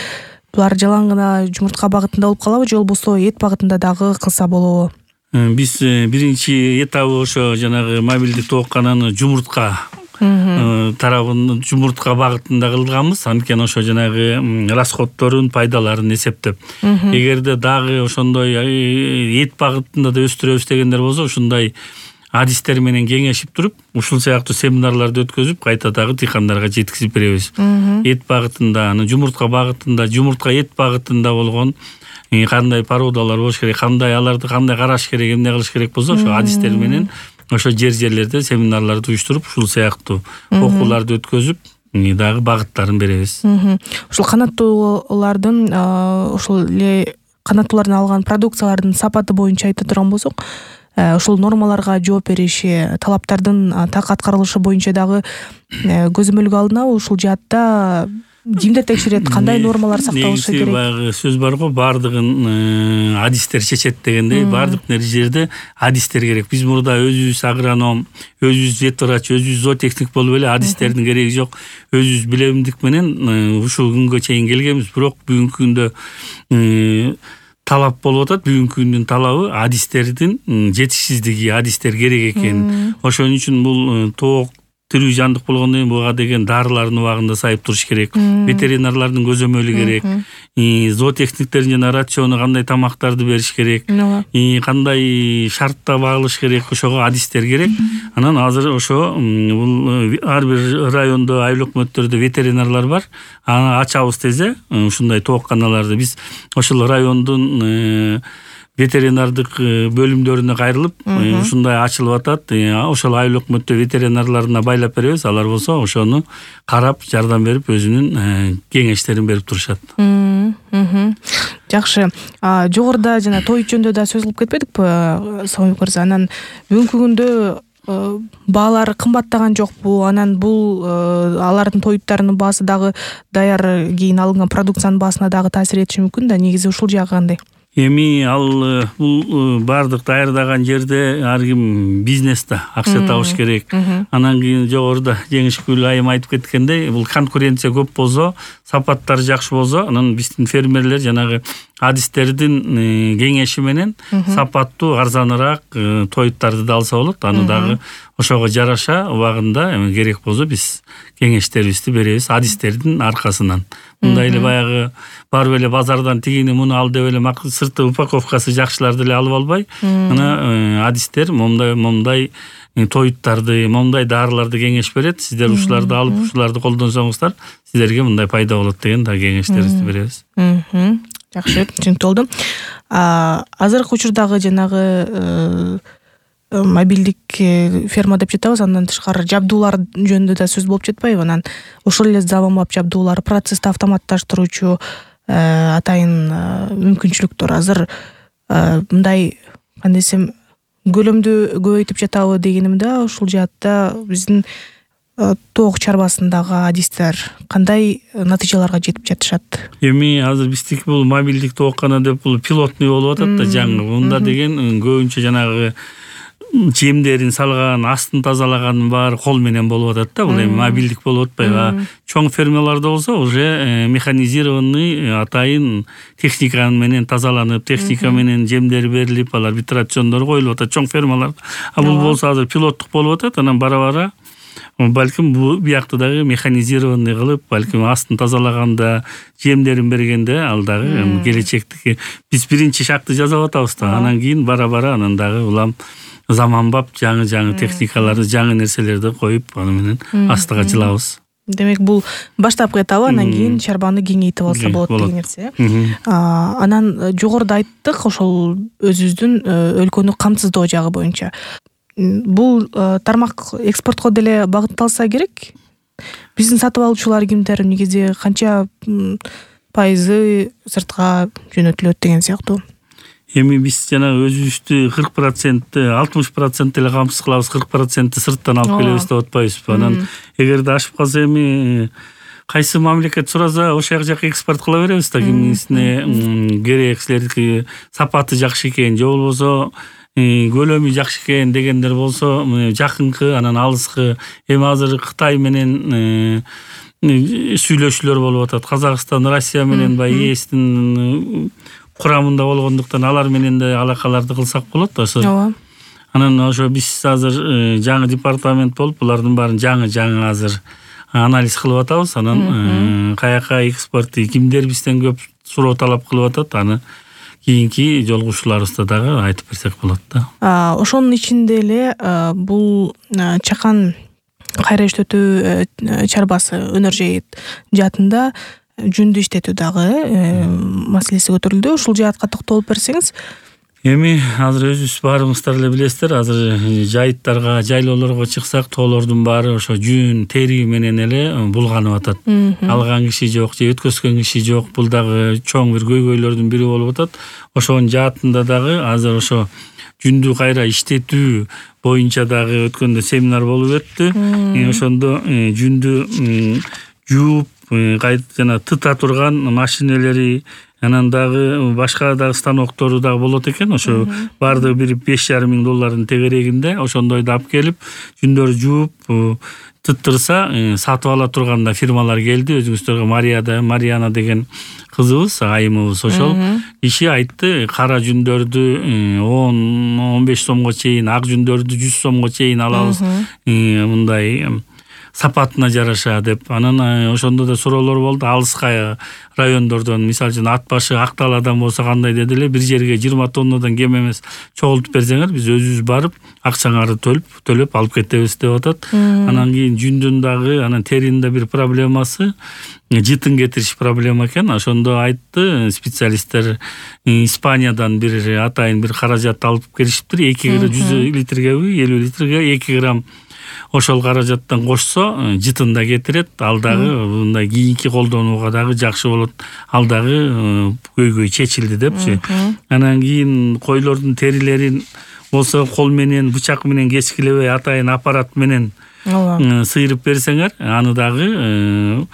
булар жалаң гана жумуртка багытында болуп калабы, же болбосо эт багытында дагы кылса болобу? Биз биринчи этабы ошо жанагы мобилдик тооккананы жумуртка тарабын, жумуртка багытында кылганбыз. Анткени ошо жанагы расходдорун, пайдаларын эсептеп. Эгерде дагы ошондой эт багытында да өстүрөбүз дегендер болсо, ушундай адистер менен кеңешип туруп, ушул сыяктуу семинарларды өткөзүп, кайта дагы дыйкандарга жеткизип беребиз. Эт багытында, жумуртка багытында, жумуртка эт багытында болгон кандай породалар болуш керек, аларды кандай караш керек, эмне кылыш керек болсо, ошо адистер менен ошо жерлерде семинарларды уюштуруп, ушул сыяктуу окууларды өткөзүп, дагы багыттарын беребиз. Ушул канаттуулардын, ошол эле канаттуулардан алган продукциялардын сапаты боюнча айта турган болсок, ушул нормаларга жооп бериши, талаптардын так аткарылышы боюнча дагы көзөмөлгө алынабы? Ушул жаатта кимдер текшерет, кандай нормалар сакталышы керек? Баягы сөз бар го, баардыгын адистер чечет дегендей, баардык жерде адистер керек. Биз мурда өзүбүз агроном, өзүбүз ветврач, өзүбүз зоотехник болуп эле адистердин кереги жок. Өзүбүз билемдик менен ушул күнгө чейин келгенбиз, бирок бүгүнкү күндө талап болуп атат. Бүгүнкү күндүн талабы адистердин жетишсиздиги, адистер керек экен. Ошон үчүн бул тоок тирүү жандык болгондон кийин буга деген дарылардын убагында сайып туруш керек. Ветеринарлардын көзөмөлү керек. Зоотехниктердин жана рациону кандай тамактарды бериш керек. Кандай шартта багылыш керек, ошого адистер керек. Анан азыр ошо бул ар бир райондо, айыл өкмөттөрдө ветеринарлар бар. Аны ачабыз дезе, ушундай тоокканаларды биз ошол райондун ветеринардык бөлүмдөрүнө кайрылып, ушундай ачылып атат. Ошол айыл өкмөттө ветеринарларына байлап беребиз. Алар болсо ошону карап, жардам берип, өзүнүн кеңештерин берип турушат. Жакшы. Жогоруда жана той жөнүндө да сөз кылып кетпедикпи, Самабек мырза? Анан бүгүнкү күндө баалар кымбаттаган жокпу? Анан бул алардын тоюттарынын баасы дагы даяр кийин алынган продукциянын баасына дагы таасир этиши мүмкүн да. Негизи ушул жагы кандай? Эми ал бул бардык даярдаган жерде ар ким бизнесте акча табыш керек. Анан кийин жогоруда Жеңишгүл айым айтып кеткендей, бул конкуренция көп болсо, сапаттары жакшы болсо, анан биздин фермерлер жанагы адистердин кеңеши менен сапаттуу, арзаныраак тоюттарды да алса болот. Аны дагы ошого жараша убагында керек болсо биз кеңештерибизди беребиз адистердин аркасынан. Мындай эле баягы барып эле базардан тигини муну ал деп эле сырты упаковкасы жакшыларды эле алып албай, ана адистер момундай тоюттарды, момундай дарыларды кеңеш берет. Сиздер ушуларды алып, ушуларды колдонсоңуздар, сиздерге мындай пайда болот деген да кеңештерибизди беребиз. Жакшы, түшүнүктүү болду. Азыркы учурдагы жанагы мобилдик ферма деп жатабыз, андан тышкары жабдуулар жөнүндө да сөз болуп жетпайбы? Анан ошол эле заманбап жабдуулар, процессти автоматташтыруучу атайын мүмкүнчүлүктөр азыр мындай кандай десем көлөмдү көбөйтүп жатабы дегеним да. Ушул жаатта биздин тоок чарбасындагы адистер кандай натыйжаларга жетип жатышат? Эми азыр биздики бул мобилдик тооккана деп бул пилотный болуп атат да, жаңы. Мында деген көбүнчө жанагы жемдерин салган, астын тазалаган баары кол менен болуп атат да. Бул эми мобилдик болуп атпайбы? Чоң фермаларда болсо уже механизированный атайын техника менен тазаланып, техника менен жемдер берилип, алар витрациондор коюлуп атат чоң фермаларда. А бул болсо азыр пилоттук болуп атат. Анан бара-бара балким бул биякты дагы механизированный кылып, балким астын тазалаганда, жемдерин бергенде ал дагы келечектики биз биринчи шагты жасап атабыз да. Анан кийин бара-бара анан дагы улам заманбап жаңы техникаларды, жаңы нерселерди коюп, аны менен астыга жылабыз. Демек бул баштапкы этабы, анан кийин чарбаны кеңейтип алса болот деген нерсе. Анан жогоруда айттык ошол өзүбүздүн өлкөнү камсыздоо жагы боюнча. Бул тармак экспортко деле багытталса керек. Биздин сатып алуучулар кимдер, негизи канча пайызы сыртка жөнөтүлөт деген сыяктуу. Эми биз жана өзүбүздү 40%, 60% эле камсыз кылабыз, 40% сырттан алып келебиз деп атпайбызбы? Анан эгерде ашып калса эми кайсы мамлекет сураса ошол жака экспорт кыла беребиз да, кимисине керек, силердики сапаты жакшы экен, же болбосо көлөмү жакшы экен дегендер болсо жакынкы, анан алыскы. Эми азыр Кытай менен сүйлөшүүлөр болуп атат. Казакстан, Россия менен баягы ЕСтин курамында болгондуктан алар менен да алакаларды кылсак болот. Ошо. Анан ошо биз азыр жаңы департамент болуп, булардын баарын жаңы азыр анализ кылып атабыз. Анан каяка экспорт, кимдер бизден көп суроо талап кылып атат, аны кийинки жолугушууларыбызда дагы айтып берсек болот да. Ошонун ичинде эле бул чакан кайра иштетүү чарбасы өнөр жайыт жаатында жүндү иштетүү дагы маселеси көтөрүлдү. Ушул жаатка токтолуп берсеңиз. Эми азыр өзүбүз баарыңыздар эле билесиздер, азыр жайыттарга, жайлоолорго чыксак, тоолордун баары ошо жүн, тери менен эле булганып атат. Алган киши жок, же өткөзгөн киши жок. Бул дагы чоң бир көйгөйлөрдүн бири болуп атат. Ошонун жаатында дагы азыр ошо жүндү кайра иштетүү боюнча дагы өткөндө семинар болуп өттү. Ошондо жүндү жууп, жана тыта турган машинелери, анан дагы башка дагы станоктору дагы болот экен. Ошо баардыгы бир $5,500 тегерегинде ошондойду алып келип, жүндөрү жууп тыттырса сатып ала турган да фирмалар келди. Өзүңүздөргө Мариана деген кызыбыз, айымыбыз ошол киши айтты, кара жүндөрдү 10-15 сомго чейин, ак жүндөрдү 100 сомго чейин алабыз, мындай сапатына жараша деп. Анан ошондо да суроолор болду. Алыска райондордон, мисалы үчүн Ат башы, Акталадан болсо кандай деди эле, бир жерге 20 тоннадан кем эмес чогултуп берсеңер, биз өзүбүз барып акчаңарды төлөп алып кетебиз деп атат. Анан кийин жүндүн дагы, анан теринин да бир проблемасы, жытын кетириш проблема экен. Ошондо айтты специалисттер, Испаниядан бир атайын бир каражат алып келишиптир. 100 литргеби, 50 литрге 2 грамм ошол каражаттан кошсо жытын да кетирет. Ал дагы мындай кийинки колдонууга дагы жакшы болот. Ал дагы көйгөй чечилди депчи. Анан кийин койлордун терилерин болсо кол менен, бычак менен кескилебей атайын аппарат менен сыйрып берсеңер, аны дагы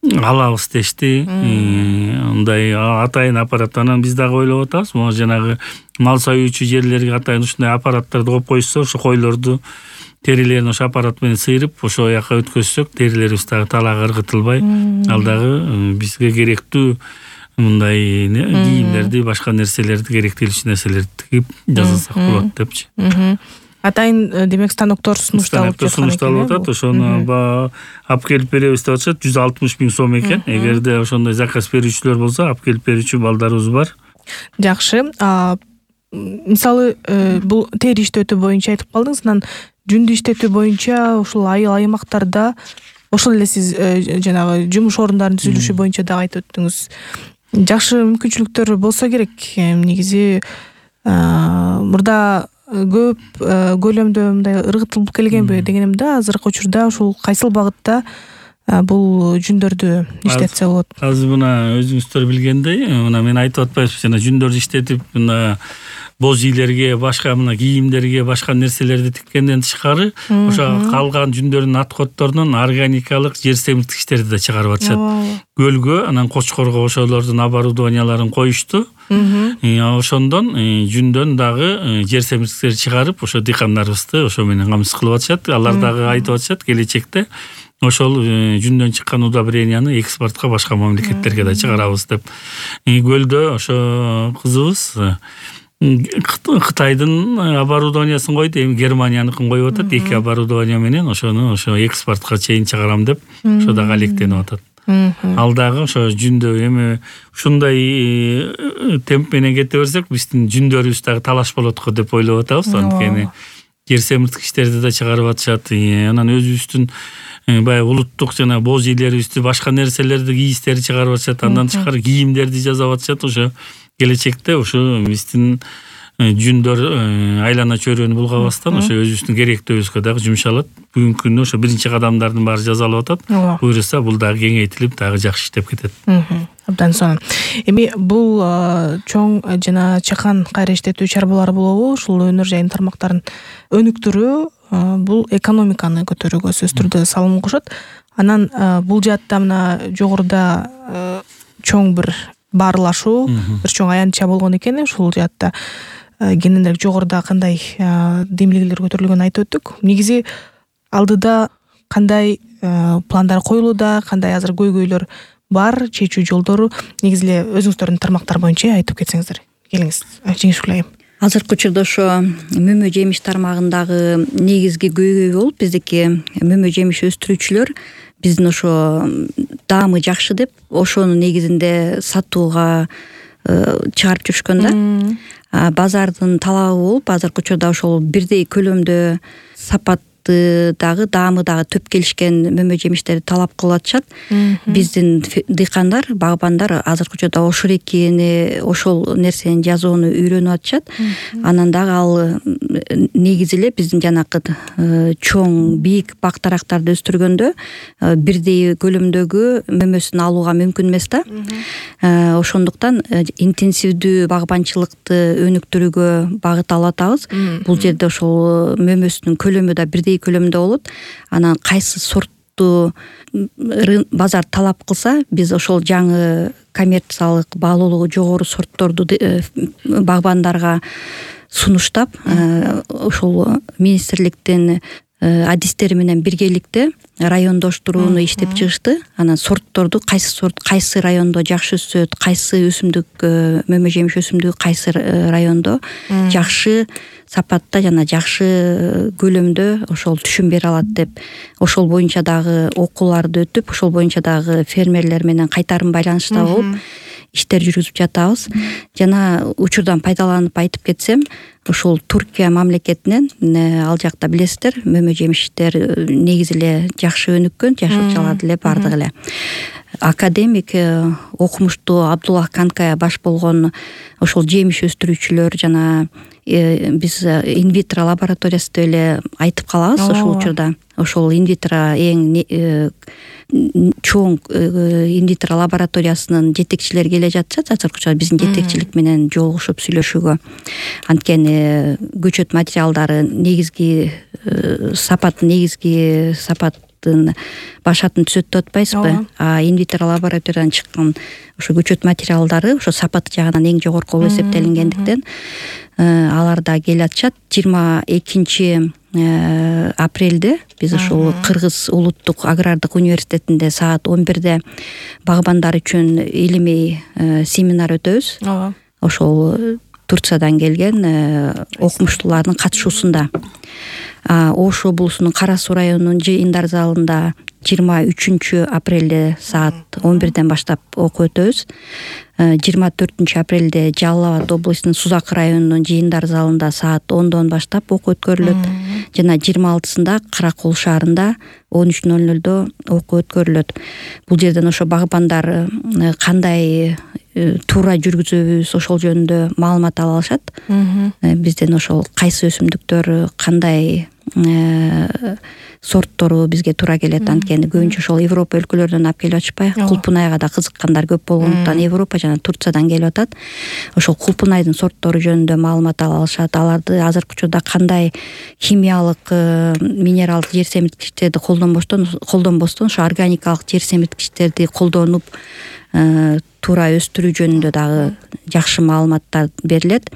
алабыз дешти. Мындай атайын аппарат. Анан биз дагы ойлоп атабыз, могу жанагы мал союучу жерлерге атайын ушундай аппараттарды коюп койсо, ошо койлорду терилерин ошо аппарат менен сыйрып ошол жака өткөзсөк, терилерибиз дагы талаага ыргытылбай, ал дагы бизге керектүү мындай кийимдерди, башка нерселерди, керектелүүчү нерселерди тигип жасасак болот депчи. Атайын демек станоктор сунушталып атат. Ошону алып келип беребиз деп атышат. 160 000 сом экен. Эгерде ошондой заказ берүүчүлөр болсо, алып келип берүүчү балдарыбыз бар. Жакшы. Мисалы бул тери иштетүү боюнча айтып калдыңыз, анан жүндү иштетүү боюнча ушул айыл аймактарда ошол эле сиз жанагы жумуш орундарын түзүлүшү боюнча дагы айтып өттүңүз. Жакшы мүмкүнчүлүктөр болсо керек. Негизи мурда көп көлөмдө мындай ыргытылып келгенби дегеним да, азыркы учурда ушул кайсыл багытта бул жүндөрдү иштетсе болот? Азыр мына өзүңүздөр билгендей, мына мен айтып атпайбызбы, жана жүндөрдү иштетип мына боз ийлерге, башка мына кийимдерге, башка нерселерди тиккенден тышкары, ошо калган жүндөрдүн аткотторунан органикалык жер семирткичтерди да чыгарып атышат. Көлгө, анан Кочкорго ошолордун оборудованияларын коюшту. Ошондон жүндөн дагы жер семирткичтерди чыгарып, ошо дыйкандарыбызды ошо менен камсыз кылып атышат. Алар дагы айтып атышат, келечекте ошол жүндөн чыккан удобренияны экспортко башка мамлекеттерге да чыгарабыз деп. Көлдө ошо кызыбыз Кытайдын оборудованиясын койду, эми Германияныкын коюп атат. 2 оборудование менен ошону экспортко чейин чыгарам деп ошо дагы алектенип атат. Ал дагы ошо жүндө эми ушундай темп менен кете берсек, биздин жүндөрүбүз дагы талаш болот го деп ойлоп атабыз. Анткени жер семирткичтерди да чыгарып атышат. Анан өзүбүздүн баягы улуттук жана боз ийлерибизди башка нерселерди кийистерди чыгарып атышат, андан тышкары кийимдерди жасап атышат. Ошо келечекте ошо биздин жүндөр айлана чөйрөнү булгабастан ошо өзүбүздүн керектүүбүзгө дагы жумшалат. Бүгүнкү күндө ошо биринчи кадамдардын баары жасалып атат. Буюрса бул дагы кеңейтилип дагы жакшы иштеп кетет. Абдан сонун. Эми бул чоң жана чакан кайра иштетүү чарбалары болобу, ушул өнөр жайын тармактарын өнүктүрүү бул экономиканы көтөрүүгө сөзсүз түрдө салым кошот. Анан бул жаатта мына жогоруда чоң бир баарлашуу, бир чоң аянтча болгон экен. Ушул жаатта кененирээк жогоруда кандай демилгелер көтөрүлгөнүн айтып өттүк. Негизи алдыда кандай пландар коюлууда, кандай азыр көйгөйлөр бар, чечүү жолдору негизи эле өзүңүздөрдүн тармактар боюнча айтып кетсеңиздер. Келиңиз, Жеңишгүл айым. Азыркы учурда ошо мөмө жемиш тармагындагы негизги көйгөй болуп биздики мөмө жемиш өстүрүүчүлөр биздин ошо даамы жакшы деп ошонун негизинде сатууга чыгарып жүрүшкөн да. Базардын талабы болуп азыркы учурда ошол бирдей көлөмдө сапат дагы даамы дагы төп келишкен мөмө жемиштерди талап кылып атышат. Биздин дыйкандар, багбандар азыркы учурда ошол экени, ошол нерсени жасоону үйрөнүп атышат. Анан дагы ал негизи эле биздин жанакы чоң, бийик бак дарактарды өстүргөндө бирдей көлөмдөгү мөмөсүн алууга мүмкүн эмес да. Ошондуктан интенсивдүү багбанчылыкты өнүктүрүүгө багыт алып атабыз. Бул жерде ошол мөмөсүнүн көлөмү да бирдей көлөмдө болот. Анан кайсы сортту базар талап кылса, биз ошол жаңы коммерциялык баалуулугу жогору сортторду багбандарга сунуштап, ошол министрликтин адистери менен биргеликте райондоштурууну иштеп чыгышты. Анан сортторду кайсы сорт кайсы райондо жакшы өсөт, кайсы өсүмдүк мөмө жемиш өсүмдүгү кайсы райондо жакшы сапатта жана жакшы көлөмдө ошол түшүм бере алат деп ошол боюнча дагы окууларды өтүп, ошол боюнча дагы фермерлер менен кайтарым байланышта болуп иштер жүргүзүп жатабыз. Жана учурдан пайдаланып айтып кетсем, ошол Туркия мамлекетинен ал жакта билесиздер, мөмө жемиштер негизи эле жакшы өнүккөн, жашылчалар эле бардыгы эле. Академик окумуштуу Абдуллах Канкая баш болгон ошол жемиш өстүрүүчүлөр жана биз инвитро лабораториясы деп эле айтып калабыз ошол учурда. Ошол инвитро эң чоң инвитро лабораториясынын жетекчилери келе жатышат. Азыркы учурда биздин жетекчилик менен жолугушуп сүйлөшүүгө. Анткени көчөт материалдары негизги сапаттын башатын түзөт деп атпайсызбы? Инвитро лабораториядан чыккан ошо көчөт материалдары ошо сапаты жагынан эң жогорку болуп эсептелингендиктен алар да келе атышат. 22 апрелде биз ошол Кыргыз улуттук агрардык университетинде саат 11-де багбандар үчүн илимий семинар өтөбүз. Ошол Турциядан келген окумуштуулардын катышуусунда. Ош облусунун Кара Суу районунун жыйындар залында 23 апрелде саат 11-ден баштап окуу өтөбүз. 24 апрелде Жалал Абад облусунун Сузак районунун жыйындар залында саат 10-дон баштап окуу өткөрүлөт. Жана 26-сында Каракол шаарында 13:00-дө окуу өткөрүлөт. Бул жерден ошо багбандар кандай туура жүргүзөбүз ошол жөнүндө маалымат ала алышат. Бизден ошол кайсы өсүмдүктөр кандай сорттору бизге туура келет. Анткени көбүнчө ошол Европа өлкөлөрүнөн алып келип атышпайбы? Кулпунайга да кызыккандар көп болгондуктан Европа жана Турциядан келип атат. Ошол кулпунайдын сорттору жөнүндө маалымат ала алышат. Аларды азыркы учурда кандай химиялык, минералдык жер семирткичтерди колдонбостон ошо органикалык жер семирткичтерди колдонуп туура өстүрүү жөнүндө дагы жакшы маалыматтар берилет.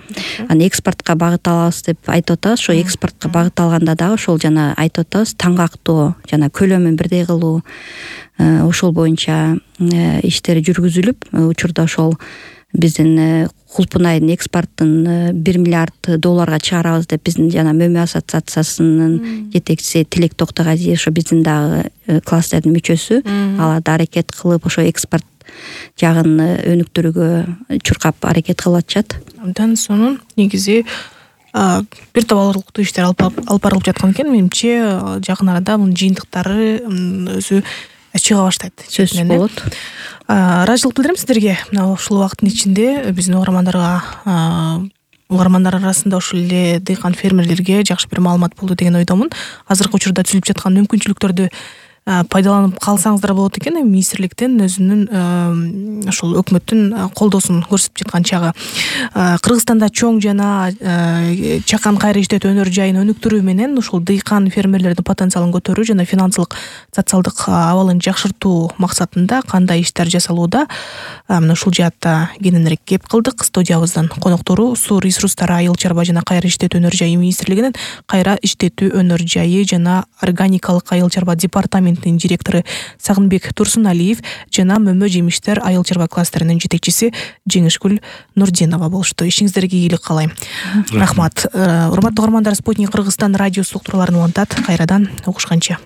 Анан экспортко багыт алабыз деп айтып атабыз. Ошо экспортко багыт алганда дагы ошол жана айтып атабыз, таңгактоо жана көлөмүн бирдей кылуу ошол боюнча иштер жүргүзүлүп, учурда ошол биздин кулпунайдын экспортун $1 миллиард чыгарабыз деп биздин жана мөмө ассоциациясынын жетекчиси Тилек Токтогазиев ошо биздин дагы кластердин мүчөсү. Алар да аракет кылып ошо экспорт жагын өнүктүрүүгө чуркап аракет кылып атышат. Абдан сонун. Негизи бир топ алырлыктуу иштер алып барылып жаткан экен. Менимче жакын арада мунун жыйынтыктары өзү чыга баштайт. Сөзсүз болот. Ыраазычылык билдирем сиздерге. Мына ушул убакыттын ичинде биздин угармандар арасында ушул эле дыйкан фермерлерге жакшы бир маалымат болду деген ойдомун. Азыркы учурда түзүлүп жаткан мүмкүнчүлүктөрдү пайдаланып калсаңыздар болот экен. Министрликтен өзүнүн ушул өкмөттүн колдоосун көрсөтүп жаткан чагы. Кыргызстанда чоң жана чакан кайра иштетүү өнөр жайын өнүктүрүү менен ушул дыйкан фермерлердин потенциалын көтөрүү жана финансылык социалдык абалын жакшыртуу максатында кандай иштер жасалууда, мына ушул жаатта кененирээк кеп кылдык. Студиябыздын коноктору Суу ресурстары, айыл чарба жана кайра иштетүү өнөр жайы министрлигинин кайра иштетүү өнөр жайы жана органикалык айыл чарба департаментинин директору Сагынбек Турсуналиев жана Мөмө жемиштер айыл чарба кластеринин жетекчиси Жеңишгүл Нурдинова болушту. Ишиңиздерге ийгилик каалайм. Рахмат. Урматтуу угармандар, Спутник Кыргызстан радиосу уктурууларын улантат. Кайрадан угушканча.